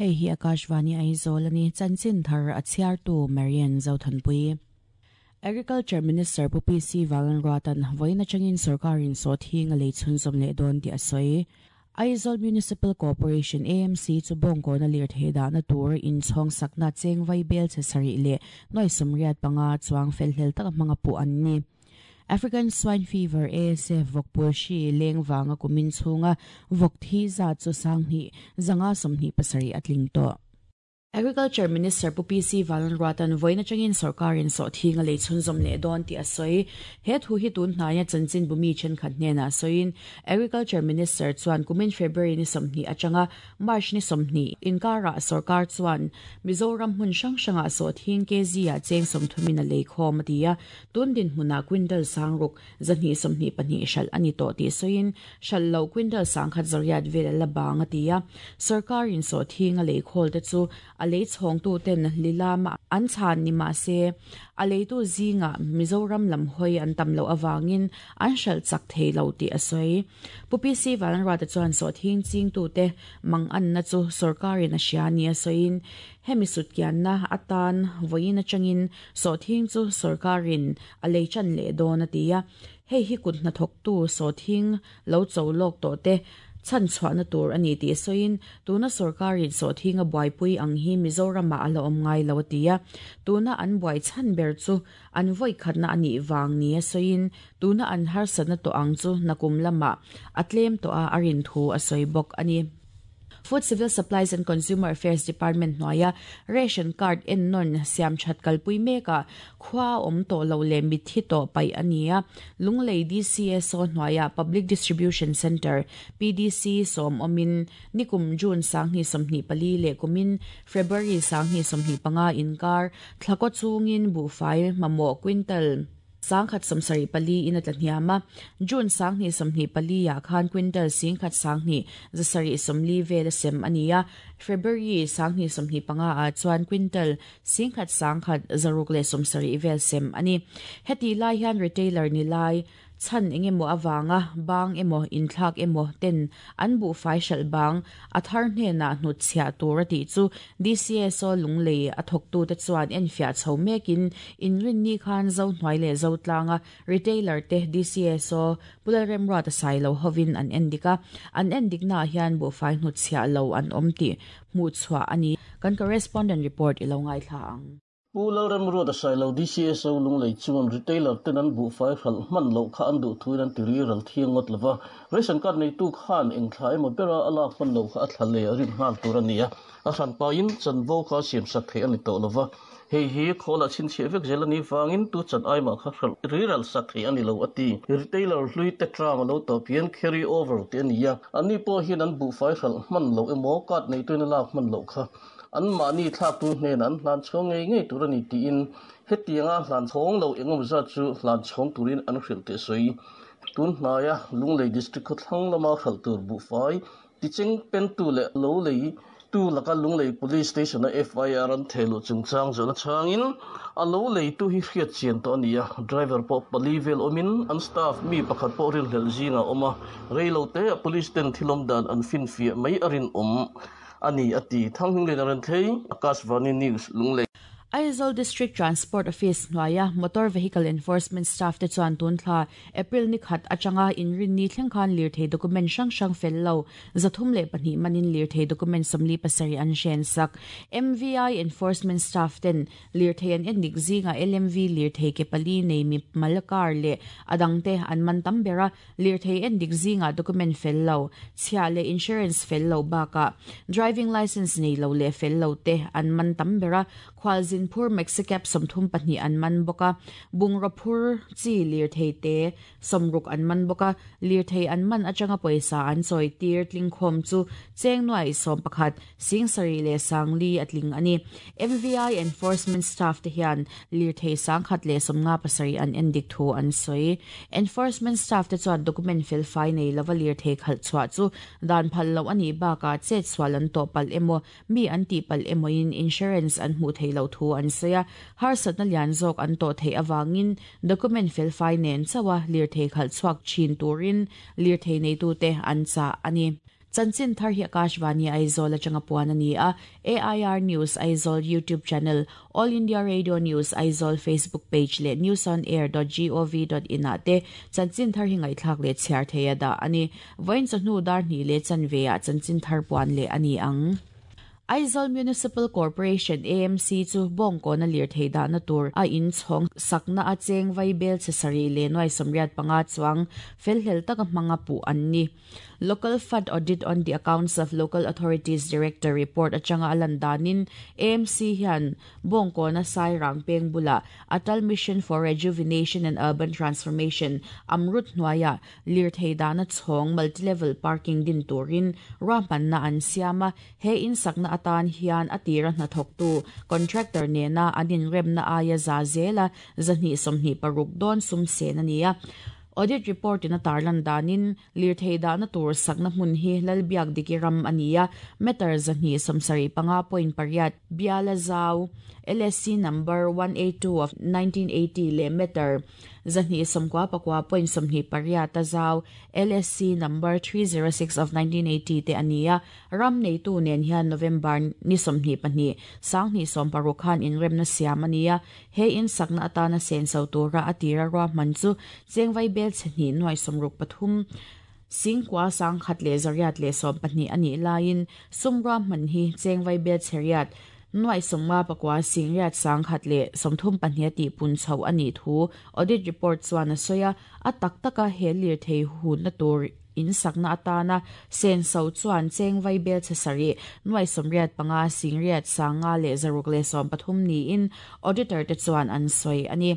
Hei hi Akashvani Aizawl a ni, chanchin thar a chhiartu Marian Zothanpui. Agriculture Minister Pu PC Valanruatan vawiin atangin sorkarin sawhthing a lei chhunzawm leh dawn tih a sawi. Aizawl Municipal Corporation, AMC, chu bawngkawna lirthei dahna tur inchhawng sakna cheng vai bel chhe sarih leh nuai 85 chuang felhlel taka hmanga puh an ni. African Swine Fever, ASF, vawkpul hri leng vanga kumin chhunga vawk thi zat chu 10,000 527 a tling tawh. Agriculture Minister Pu PC Valanruatan vawiin atangin sorkarin sawhthing a lei chhunzawm leh dawn tih a sawi. He thu hi tun hnaia chanchinbu mi thenkhat hnenah sawiin Agriculture Minister chuan kumin February ni 20 atanga March ni 20 inkarah sorkar chuan Mizoram hmun hrang hrangah sawhthing kg ah cheng 30 in a lei khawm a ti a. Tun dinhmunah quintal 600 222 hralh a ni tawh tih sawiin hralh loh quintal 1,100 vel a la bang a ti a. Sorkarin sawhthing a lei khawl te chu a lei chhawngtu ten lilama an chhan ni mah se a leitu zingah Mizoram lam hawi an tam loh avangin an hralh chak thei lo tih a sawi. Pu PC Valanruata chuan sawhthing chingtute mang anna chu sorkarin a hria nia sawiin hemi sutkianna atan vawiin atangin sawhthing chu sorkarin a lei chan leh dawn a ti a. Hei hi kut hnathawktu sawhthing lo cho lawk tawh te chhan chhuahna tur a ni tih sawiin tuna sorkarin sawhthing a buaipui ang hi Mizoramah a la awm ngai lo a ti a. Tuna an buai chhan ber chu an vawi khatna a nih vang nia sawiin tuna an harsatna tawh ang chu nakum lamah a tlem tawh a a rin thu a sawi bawk a ni. Food Civil Supplies and Consumer Affairs Department hnuaia ration card ennawn siam that kalpui mekah khua awm tawh lo leh mitthi tawh paih a ni a. Lunglei DCSO hnuaia Public Distribution Centre, PDC, sawm awmin nikum June 2024 leh kumin February 2025 inkar thlakaw chungin buhfai mamawh quintal 174 in a tla hniam a. June 2024 ah khan quintal 10,2 740 vel a sem a ni a. February 2025 ah chuan quintal 10,170 vel sem a ni. Heti lai hian retailer ni lai chan engemaw awanga bang emaw inthlak emaw ten an buhfai hralh bang a thar hnenah hnut chhiah tur a tih chu DCSO Lunglei a thawktu te chuan enfiah chho mekin inrin ni khan zo hnuai leh zo tlanga retailer te DCSO Pulalremruat a sai lo hovin an endik a. An endik na hian buhfai hnut chhiah lo an awm tih hmuh chhuah a ni. Kan correspondent report i lo ngai thla ang. Pu Lalremruat a sai lo DCSO Lunglei chuan retailer ten an buhfai hralh hman loh kha an duh thuin an ti ri ral thiang ngawt lova. Ration card neitu khan eng thla emaw bera a lak hman loh kha a thla leh a rin nghal tur a ni a. A hran pahin chanvo kha siam sak theih a ni tawh lova. Hei hi khawlah chhinchhiah vek zel a nih vangin tu chan aimah kha hralh ri ral sak theih a ni lo a ti. Retailer hlui te term a lo tawp hian carry over tih a ni a. Anni pawh hian an buhfai hralh hman loh emaw card neituin a lak hman loh kha an mahni thlaktu hnenah an hlan chhawng ngei ngei tur a ni tiin hetianga hlan chhawng lo engemaw zat chu hlan chhawng turin an hrilh tih a sawi. Tun hnaia Lunglei District khawthlang lama hralh tur buhfai ticheng pentu leh lo lei tu laka Lunglei Police Station-a FIR an thehluh chungchang zawhna chhangin a lo leitu hi hriat chian tawh a ni a. Driver pawh pali vel awmin an staff mi pakhat pawh rinhlelh zingah a awm a. Rei lo te a police ten thil awm dan an finfiah mai a rinawm a ni a ti. Thanghminglena Renthei, Akashvani News, Lunglei. Aizawl District Transport Office hnuaia Motor Vehicle Enforcement Staff te chuan tun thla April ni khat atanga inrin ni thleng khan lirthei document hrang hrang fel lo 302 manin lirthei document 47 an hren sak. MVI Enforcement Staff ten lirthei an endik zinga LMV lirthei ke pali nei mi malakar leh adang te an man tam bera lirthei endik zinga document fel lo chhia leh insurance fel lo baka driving license nei lo leh fel lo te an man tam bera khwalzin phur Mexicap 32 an man boka bungra phur chi lirthei te 60 an man boka lirthei an man atanga poisa an choi tir tling khom chu chengnuai 11 singsari le sangli atling ani. MVI enforcement staff te hian lirthei sangkhat le 57 an endik thu an soi. Enforcement staff te chuan document fel fai nei lova lirthei khal chhuah chu dan phal lo ani baka chet swal an to pal emo mi an ti pal emo in insurance an hmu thei lo thu an soya har satna lian zawk an to thei awangin document fel fai nen chawa lirthei khal chuak chin turin lirthei nei tu te an cha ani. Chanchin thar hi Akashvani Aizawl atanga puan a ni a, AIR News Aizawl YouTube channel, All India Radio News Aizawl Facebook page leh newsonair dot gov dot in ah te chanchin thar hi ngaihthlak leh chhiar thei a dah a ni. Vawiin chawhnu dar hnih leh chanve ah chanchin thar puan leh a ni ang. Aizawl Municipal Corporation, AMC, chu Bawngkawna lirthei dahna tur a inchhawng sakna a cheng vaibel chhe sarih leh nuai 85 chuang felhlel taka hmanga puh an ni. Local Fund Audit on the Accounts of Local Authorities Director report atanga a lan danin AMC hian Bawngkawna Sairang peng bulah Atal Mission for Rejuvenation and Urban Transformation, AMRUT, hnuaiah lirthei dahna chhawng multi-level parking din turin ruahmanna an siam a, he insakna atan hian a tira hnathawktu contractor nena an inremna aia za zela 226 dawn sum sen a ni a. Audit report in a tarlan danin lirthei dahna tur sakna hmun hi Lalbiak Diki ram a ni a, meter 275.8 biala zau, LSC number 182 of 1980 leh meter 299.28 a zau, LSC number 306 of 1980 te a ni a. Ram neitu nen hian November ni 22, 2016 khan inremna siam a ni a. He in sakna atana senso tura a tira ruahman chu chengvai bel chhe hnih nuai sawmruk pathum singkua sangkhat leh zariat leh 12 a nih laiin sum ruahman hi chengvai bel chhe riat nuai sawmnga pakua singriat sangkhat leh 32 a tih pun chho a nih thu audit report chuan a sawi a. A tak taka he lirthei hunna tur in sakna atana senso chuan chengvai bel chhe sarih nuai 85 singriat sanga leh 630 niin auditor te chuan an sawi a ni.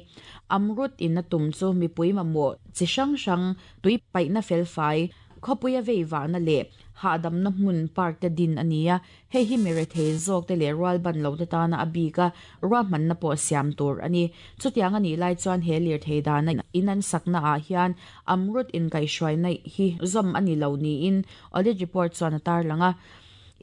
Amrut in a tum chu mipui mamawh chi hrang hrang tui paihna felfai khawpuia vei vahna leh hahdamna hmun park te din a ni a, hei hi mi rethei zawk te leh rual ban lo te tana a bik a ruahmanna pawh siam tur a ni. Chutiang a nih lai chuan he lirthei dana in an sakna ah hian Amrut inkaihhruaina hi zawm a ni lo niin audit report chuan a tarlang a.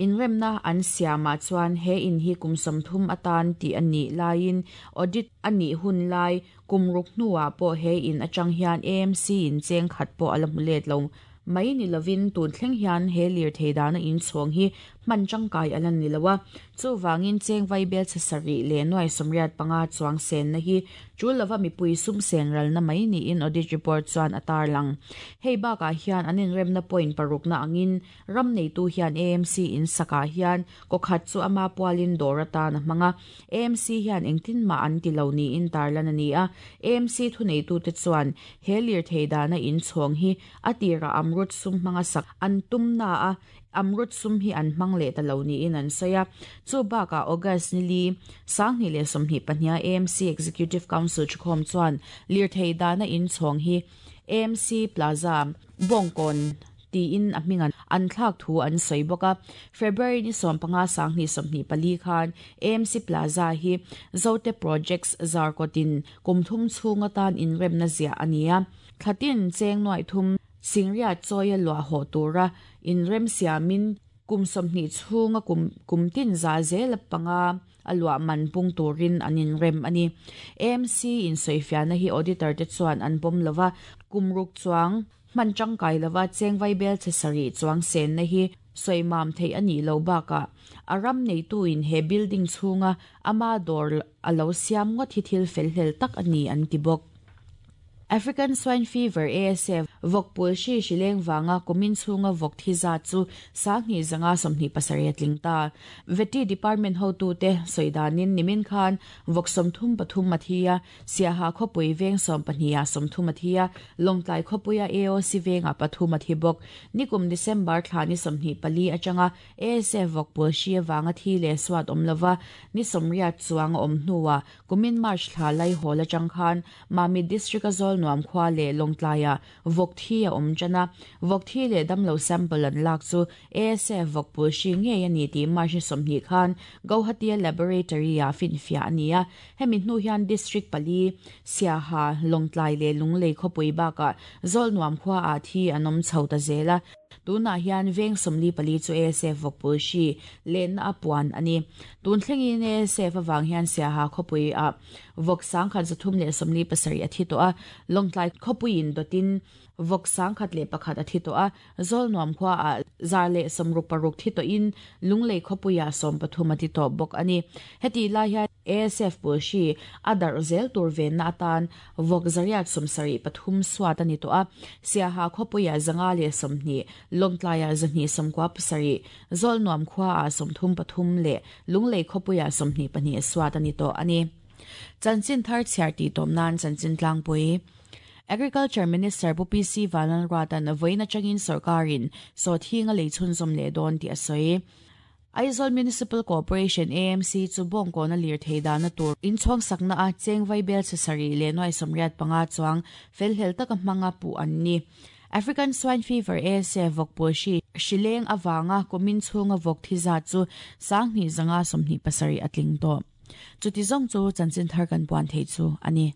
Inremna an siamah chuan he in hi kum 30 atan tih a nih laiin audit a nih hun lai kum ruk hnuah pawh he in atang hian AMC in cheng khat pawh a la hmu let lo mai ni lovin tun thleng hian he lirthei dana inchhawng hi hman tangkai a la ni lo a. Chuvangin cheng vaibel chhe sarih leh nuai 85 chuang senna hi tul lova mipui sum sen ralna mai niin audit report chuan a tarlang. Hei bakah hian an inremna point parukna angin ram neitu hian AMC in sakah hian kawkhat chu ama pualin dawr atan a hmang a. AMC hian engtin mah an ti lo niin tarlan a ni a. AMC thuneitu te chuan he lirthei dana inchhawng hi a tira Amrut sum hmanga sak an tumna a, Amrut sum hi an hmang leh ta lo niin an sawi a. Chu bakah August ni li, 2022 AMC Executive Council thukhawm chuan lirthei dana inchhawng hi AMC Plaza, Bawngkawn tiin a hming an thlak thu an sawi bawk a. February ni 15 2024 khan AMC Plaza hi Zote Projects zarkawtin kum thum chhung atan inremna ziah a ni a. Thlatin cheng nuai thum singriat chawia luah haw tura inrem siamin kum 20 chhunga kum kumtin za zel panga a luah man pung turin an inrem a ni. AMC in sawifiahna hi auditor te chuan an pawm lova, kum ruk chuang hman tangkai lova chengvai bel chhe sarih chuang senna hi sawimam thei a nih lo bakah a ram neitu in he building chhunga ama dawr a lo siam ngawt hi thil felhlel tak a ni an ti bawk. African Swine Fever, ASF, vawk pul hri hrileng wanga kumin chhunga vawk thi za chu 2527 a tling ta. Veti Department hotu te soidanin nimin khan vawk 33 athia, Siaha khawpui veng 12 a 30 athia, Lawngtlai khawpuia AOC venga pathum athi bawk. Nikum December thla ni 24 atanga ASF vawk pul hri wanga thi le swat awm lova ni 80 chuang awm hnuwa kumin March thla lai hawl atang khan Mami District a zawl nuam khwa le Lawngtlaia vawk thi a awm chana. Vawk thi le damlo sample an lak chu ASF vawk pul hri ngei ani ti March 20 khan Guwahati Laboratory a finfia ania. Hemi hnu hian district pali Siaha, Lawngtlai le Lunglei khawpui baka zawl nuam khwa a thi an awm chho ta zela. Tunah hian veng 44 chu ASF vawkpul hri lenna a puan a ni. Tun thlengin ASF avang hian Siaha khawpui ah vawk 1347 a thi tawh a, Lawngtlai khawpuiin dawtin vawk 1001 a thi tawh a, Zawlnuam khua ah 166 thi tawhin Lunglei khawpui ah 13 a ti tawh bawk a ni. Hetih lai hian ASF pul hri a darh zel tur venna atan Vawk 873 suat a ni tawh a, Siaha khawpuiah 520, Lawngtlaiah 297, Zawlnuam khuaah 33 leh Lunglei khawpuiah 22 suat a ni tawh a ni. Chanchin thar chhiar tih tawm nan chanchin tlangpui. Agriculture Minister Pu PC Vanlalruata'n vawiin atangin sawrkarin sawthinga lei chhunzawm leh dawn tih a sawi. Aizawl Municipal Corporation, AMC, chu bawngkawna lirthei dahna tur inchhawng sakna a cheng vaibel chhe sarih leh nuai 85 chuang felhlel taka hmanga puh an ni. African Swine Fever, ASF, vawkpul hri hrileng avanga kumin chhunga vawk thi zat chu 2527 a tling tawh. Chuti zawng chu chanchin thar kan puan theih chu a ni.